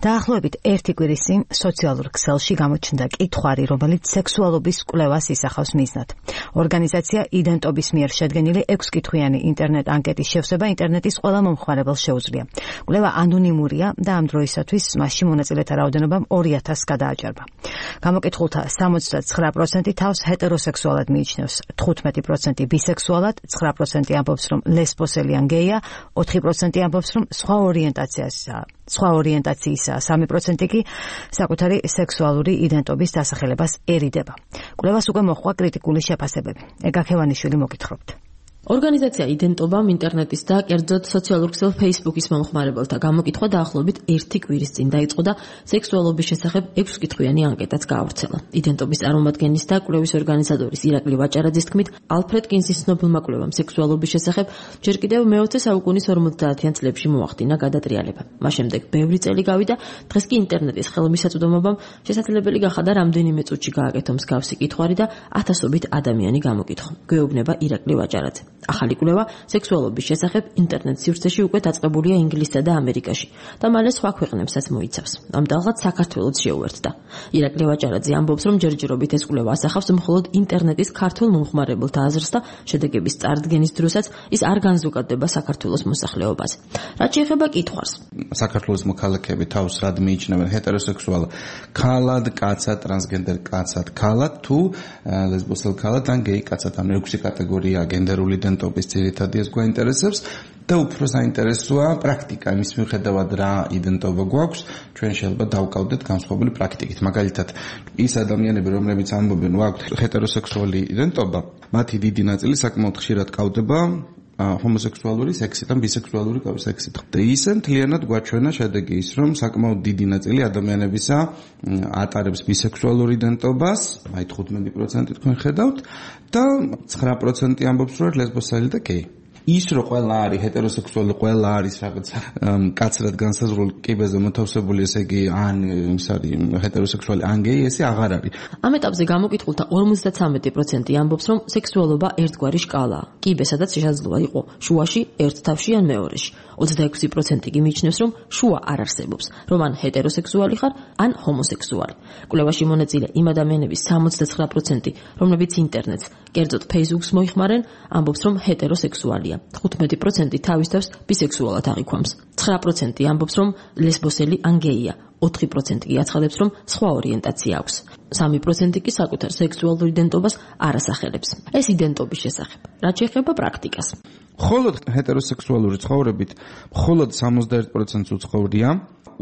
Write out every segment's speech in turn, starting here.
დაახლოებით ერთი კვირის წინ სოციალურ ქსელში გამოჩნდა კითხვარი, რომელიც სექსუალობის კვლევას ისახავს მიზნად. ორგანიზაცია იდენტობის მიერ შედგენილი 6 კითხვიანი ინტერნეტ ანკეტის შევსება ინტერნეტის ყველა მომხმარებელს შეუძლია. კვლევა ანონიმურია და ამ დროისათვის მასში მონაწილეთა რაოდენობამ 2000 გადააჭარბა. გამოკითხულთა 79% თავს ჰეტეროსექსუალად მიიჩნევს, 15% ბისექსუალად, 9% ამბობს, რომ ლესბოსელი ან გეია, 4% ამბობს, რომ სხვა ორიენტაციისაა, 3% კი საკუთარი სექსუალური იდენტობის დასახელებას ერიდება. კვლევას უკვე მოჰყვა კრიტიკული შეფასებები. ეგა ქევანიშვილი მოგითხრობთ. ორგანიზაცია იდენტობამ ინტერნეტის და კერძოდ სოციალურ ქსელ Facebook-ის მომხმარებელთა გამოკითხვა დაახლოებით ერთი კვირის წინ დაიწყო და სექსუალობის შესახებ 6 კითხვიანი ანკეტაც გაავრცელა. იდენტობის წარმომადგენლის და კვლევის ორგანიზატორის ირაკლი ვაჭარაძის თქმით, ალფრედ კინსის ცნობილმა კვლევამ სექსუალობის შესახებ ჯერ კიდევ მე-20 საუკუნის 50-იან წლებში მოახდინა გადატრიალება. მას შემდეგ ბევრი წელი გავიდა, დღეს კი ინტერნეტის ხელმისაწვდომობამ შესაძლებელი გახადა რამდენიმე წუთში გააკეთო მსგავსი კითხვარი და ათასობით ადამიანი გამოკითხო. გვეუბნება ირაკლი ვაჭარაძე. ახალი კვლევა სექსუალობის შესახებ ინტერნეტ სივრცეში უკვე დაწყებულია ინგლისსა და ამერიკაში და მალე სხვა ქვეყნებსაც მოიცავს. ამ დაღლად საქართველოც შეუერთდა. ირაკლი ვაჭარაძე ამბობს, რომ ჯერჯერობით ეს კვლევა ასახავს მხოლოდ ინტერნეტის ქართულ მომხმარებელთა აზრს და შედეგების წარდგენის დროსაც ის არ განზოგადება საქართველოს მოსახლეობაზე. რაც შეეხება კითხვარს. საქართველოს მოქალაქეები თავს რად მიიჩნევენ ჰეტეროსექსუალ ქალად, კაცად, ტრანსგენდერ კაცად, ქალად თუ ლესბოსელ ქალად ან გეი კაცად, ამ 6 კატეგორია გენდერული იდენტობის ძირითადი ეს გვაინტერესებს და უფრო საინტერესოა პრაქტიკა, იმის მიუხედავად რა იდენტობა გვაქვს, ჩვენ შეიძლება დავკავდეთ განსხვავებული პრაქტიკით. მაგალითად, ის ადამიანები, რომლებიც ამბობენ, ვაქვთ ჰეტეროსექსუალი იდენტობა, მათი დიდი ნაწილი საკმაოდ ხშირად კავდება ჰომოსექსუალური სექსით ან ბისექსუალური სექსით. და ისე მთლიანად გვაჩვენა შედეგი ის, რომ საკმაოდ დიდი ნაწილი ადამიანებისა ატარებს ბისექსუალურ იდენტობას, აი 15% თქვენ ხედავთ და 9% ამბობს, რომ ლესბოსელი და გეი. ის რომ ყველა არის ჰეტეროსექსუალი, ყველა არის რაღაცა კაცრად განსაზღვრული კიბეზე მოთავსებული, ესე იგი ან ის არის ჰეტეროსექსუალი ან გეი, ესე აღარ არის. ამ ეტაპზე გამოკითხულთა 53% ამბობს, რომ სექსუალობა ერთგვარი შკალაა. კიბე, სადაც შესაძლოა იყო შუაში, ერთ თავში ან მეორეში. 26% კი მიიჩნევს, რომ შუა არ არსებობს, რომ ან ჰეტეროსექსუალი ხარ, ან ჰომოსექსუალი. კვლევაში მონაწილე იმ ადამიანების 79%, რომლებიც ინტერნეტს, კერძოდ Facebook-ს მოიხმარენ, ამბობს, რომ ჰეტეროსექსუალია. 15% თავის თავს ბისექსუალად აღიქვამს. 9% ამბობს, რომ ლესბოსელი ან გეია. 4% კი აცხადებს, რომ სხვა ორიენტაცია აქვს. 3% კი საკუთარ სექსუალურ იდენტობას არ ასახელებს. ეს იდენტობის შესახებ. რაც შეეხება პრაქტიკას. მხოლოდ ჰეტეროსექსუალური ცხოვრებით მხოლოდ 61%-ს უცხოვრია.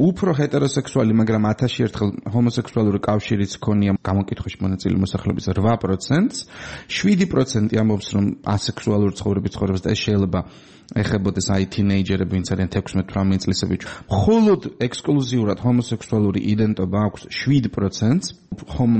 უფრო ჰეტეროსექსუალი, მაგრამ 1000 ერთხელ ჰომოსექსუალური კავშირიც ქონია გამოკითხვაში მონაწილე მოსახლეობის 8%-ს. 7% ამბობს, რომ ასექსუალური ცხოვრებით ცხოვრობს და ეს შეიძლება ეხებოდეს აი თინეიჯერები, ვინც არიან 16-18 წლისები. მხოლოდ ექსკლუზიურად ჰომოსექსუალური იდენტობა აქვს 7%-ს,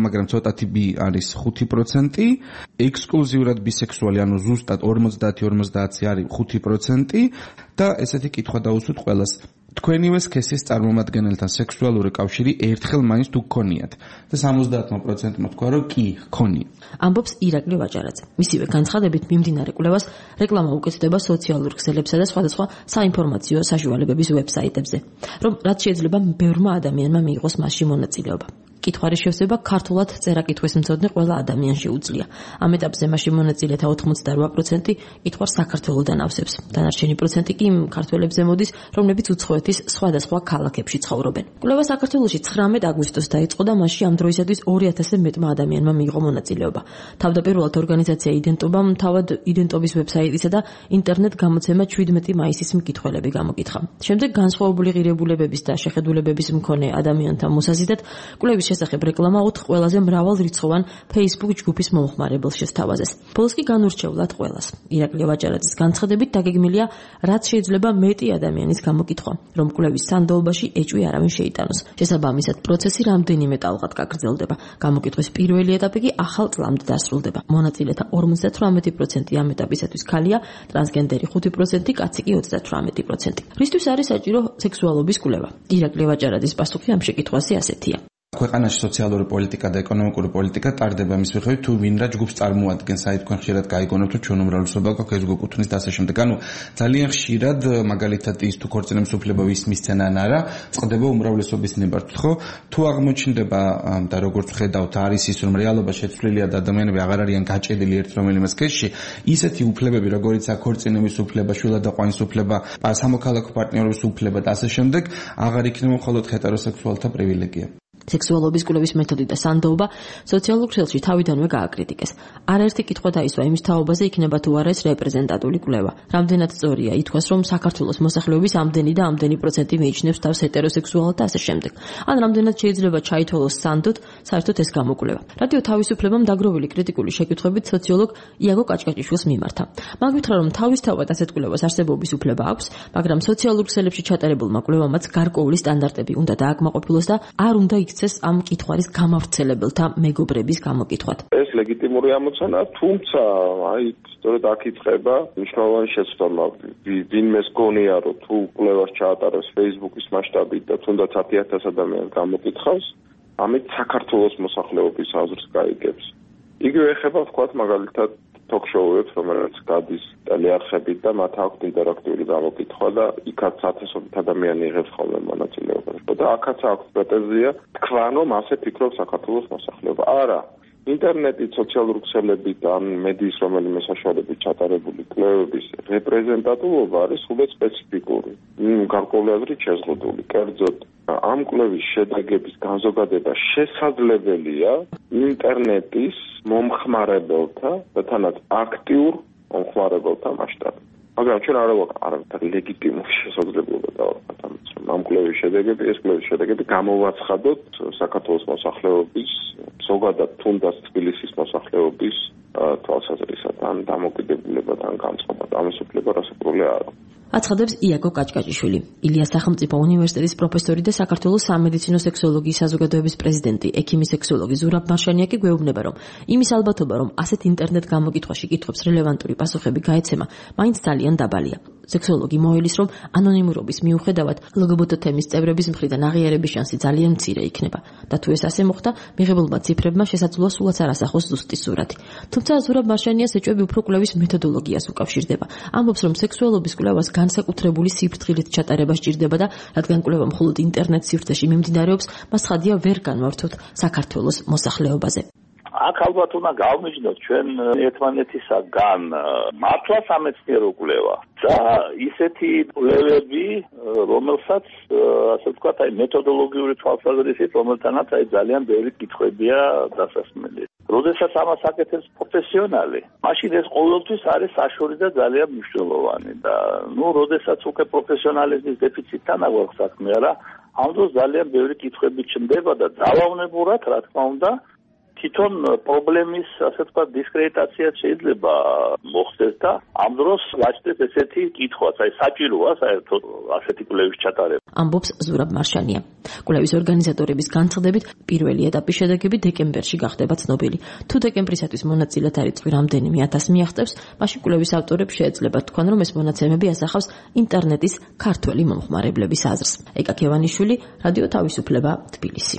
მაგრამ ცოტათი ბი არის 5%, ექსკლუზიურად ბისექსუალი, ანუ ზუსტად 50-50 არის 5% და ესეთი კითხვა დაუსვით ყველას. თქვენივე სქესის წარმომადგენელთან სექსუალური კავშირი ერთხელ მაინც თუ გქონიათ და 70%-მა თქვა, რომ კი, გქონია. ამბობს ირაკლი ვაჭარაძე. მისივე განცხადებით მიმდინარე კვლევას რეკლამა უკეთდება სოციალურ ქსელებსა და სხვადასხვა საინფორმაციო საშუალებების ვებსაიტებზე, რომ რაც შეიძლება ბევრმა ადამიანმა მიიღოს მასში მონაწილეობა. კითხვის შევსება ქართულად წერა-კითხვის მცოდნე ყველა ადამიანს შეუძლია. ამ ეტაპზე მასში მონაწილეთა 88% კითხვას საქართველოდან ავსებს. დანარჩენი პროცენტი კი ქართველებზე მოდის, რომლებიც უცხოეთის სხვადასხვა ქალაქებში ცხოვრობენ. კვლევა საქართველოში 19 აგვისტოს დაიწყო და მასში ამ დროისათვის 2000-ზე მეტმა ადამიანმა მიიღო მონაწილეობა. თავდაპირველად ორგანიზაცია იდენტობამ თავად იდენტობის ვებსაიტისა და ინტერნეტ გამოცემა 17 მაისის მკითხველები გამოკითხა. შემდეგ განსხვავებული ღირებულებების და შეხედულებების მქონე ადამიანთა მოსაზიდად კვლევის შესახებ რეკლამა 4 ყველაზე მრავალრიცხოვან Facebook ჯგუფის მომხმარებელს შესთავაზეს. ბოლოს კი განურჩევლად ყველას. ირაკლი ვაჭარაძის განცხადებით დაგეგმილია, რაც შეიძლება მეტი ადამიანის გამოკითხვა, რომ კვლევის სანდოობაში ეჭვი არავინ შეიტანოს. შესაბამისად, პროცესი რამდენიმე ტალღად გაგრძელდება. გამოკითხვის პირველი ეტაპი კი ახალ წლამდე დასრულდება. მონაწილეთა 58% ამ ეტაპისათვის ქალია, ტრანსგენდერი 5%, კაცი კი 38%. რისთვის არის საჭირო სექსუალობის კვლევა? ირაკლი ვაჭარაძის პასუხი ამ შეკითხვაზე ასეთია. ქვეყანაში სოციალური პოლიტიკა და ეკონომიკური პოლიტიკა ტარდება მის მიხედვით თუ ვინ რა ჯგუფს წარმოადგენს, აი თქვენ ხშირად გაიგონებთ რომ ჩვენ უმრავლესობა გვაქვს ეს გუკუთვნის და ასე შემდეგ. ანუ ძალიან ხშირად მაგალითად ის თუ ქორწინების უფლება ვისმის ცენა ან არა, წყდება უმრავლესობის ნებართვით, ხო? თუ აღმოჩნდება და როგორც ხედავთ არის ის რომ რეალობა შეცვლილია და ადამიანები აღარ არიან გაჭედილი ერთ რომელიმე სქესში, ისეთი უფლებები როგორიც აქორწინების უფლება, შვილადაყვანის უფლება, სამოქალაქო პარტნიორობის უფლება და ასე შემდეგ აღარ იქნება მხოლოდ ჰეტეროსექსუალთა პრივილეგია. სექსუალობის კვლევის მეთოდი და სანდოობა სოციალურ ქსელში თავიდანვე გააკრიტიკეს. არაერთი კითხვა დაისვა იმის თაობაზე იქნება თუ არა ეს რეპრეზენტატული კვლევა. რამდენად სწორია ითქვას, რომ საქართველოს მოსახლეობის ამდენი და ამდენი პროცენტი მიიჩნევს თავს ჰეტეროსექსუალად და ასე შემდეგ. ან რამდენად შეიძლება ჩაითვალოს სანდოდ საერთოდ ეს გამოკვლევა. რადიო თავისუფლებამ დაგროვილი კრიტიკული შეკითხვებით სოციოლოგ იაგო კაჭკაჭიშვილს მიმართა. მან გითხრა, რომ თავისთავად ასეთ კვლევას არსებობის უფლება აქვს, მაგრამ სოციალურ ქსელებში ჩატარებულმა კვლევამაც გარკვეული სტანდარტები უნდა დააკმაყოფილოს და არ უნდა იქცეს ამ კითხვარის გამავრცელებელთა მეგობრების გამოკითხვად. ეს ლეგიტიმური ამოცანაა, თუმცა აი სწორედ აქ იწყება მნიშვნელოვანი შეცდომა. ვინმეს გონია, რომ თუ კვლევას ჩაატარებს Facebook-ის მასშტაბით და თუნდაც 10,000 ადამიანს გამოკითხავს, ამით საქართველოს მოსახლეობის აზრს გაიგებს. იგივე ეხება ვთქვათ მაგალითად ток-შოუებს, რომელიც გადის ტელეარხებით და მათ აქვთ ინტერაქტიული გამოკითხვა და იქაც ათასობით ადამიანი იღებს ხოლმე მონაწილეობას. და აქაც აქვს პრეტენზია თქვან რომ ასე ფიქრობს საქართველოს მოსახლეობა. არა, ინტერნეტით, სოციალური ქსელებით ან მედიის რომელიმე საშუალებით ჩატარებული კვლევების რეპრეზენტატულობა არის სულაც სპეციფიკური. გარკვეული აზრით შეზღუდული. კერძოდ ამ კვლევის შედეგების განზოგადება შესაძლებელია ინტერნეტის მომხმარებელთა და თანაც აქტიურ მომხმარებელთა მასშტაბით. მაგრამ ჩვენ არ ვაქვს ლეგიტიმური შესაძლებლობა დავარქვათ ამას, რომ ამ კვლევის შედეგები გამოვაცხადოთ საქართველოს მოსახლეობის, ზოგადად თუნდაც თბილისის მოსახლეობის თვალსაზრისით, დამოკიდებულებად, განწყობად. ამის უფლება რასაკვირველი არ აქვს. აცხადებს იაგო კაჭკაჭიშვილი, ილიას სახელმწიფო უნივერსიტეტის პროფესორი და საქართველოს სამედიცინო სექსოლოგიის საზოგადოების პრეზიდენტი, ექიმი სექსოლოგი ზურაბ მარშანია კი გვეუბნება, რომ იმის ალბათობა, რომ ასეთ ინტერნეტ გამოკითხვაში კითხვებს რელევანტური პასუხები გაეცემა, მაინც ძალიან დაბალია. სექსოლოგი მოელის, რომ ანონიმურობის მიუხედავად ლგბტ თემის წევრების მხრიდან აღიარების შანსი ძალიან მცირე იქნება და თუ ეს ასე მოხდა, მიღებულმა ციფრებმა შესაძლოა სულაც არ ასახოს ზუსტი სურათი. თუმცა ზურაბ მარშანიას ეჭვები უფრო კვლევის მეთოდოლოგიას უკავშირდება. ამბობს, რომ სექსუალობის კვლევას განსაკუთრებული სიფრთხილით ჩატარება სჭირდება და რადგან კვლევა მხოლოდ ინტერნეტ სივრცეში მიმდინარეობს, მას ხადია ვერ განვართოთ საქართველოს მოსახლეობაზე. აქ ალბათ უნდა გავმიჯნოთ ჩვენ ერთმანეთისაგან მართლა სამეცნიერო კვლევა და ისეთი კვლევები, რომელსაც ასე ვთქვათ, აი მეთოდოლოგიური თვალსაზრისით, რომელთანაც აი ძალიან ბევრი კითხვებია დასასმელი. როდესაც ამას აკეთებს პროფესიონალი, მაშინ ეს ყოველთვის არის საშუალო და ძალიან მნიშვნელოვანი და როდესაც უკვე პროფესიონალიზმის დეფიციტთან აგვაქვს საქმე, არა, ამ დროს ძალიან ბევრი კითხვები ჩნდება და ძალაუნებურად, რა თქმა უნდა, თვითონ პრობლემის, ასე ვთქვათ, დისკრედიტაციაც შეიძლება მოხდეს და ამ დროს გაჩნდეს ესეთი კითხვაც, აი საჭიროა საერთოდ ასეთი კვლევის ჩატარება. ამბობს ზურაბ მარშანია. კვლევის ორგანიზატორების განცხადებით, პირველი ეტაპის შედეგები დეკემბერში გახდება ცნობილი. თუ დეკემბრისათვის მონაწილეთა რიცხვი რამდენიმე ათასს მიაღწევს, მაშინ კვლევის ავტორებს შეეძლებათ თქვან, რომ ეს მონაცემები ასახავს ინტერნეტის ქართველი მომხმარებლების აზრს. ეკა ქევანიშვილი, რადიო თავისუფლება, თბილისი.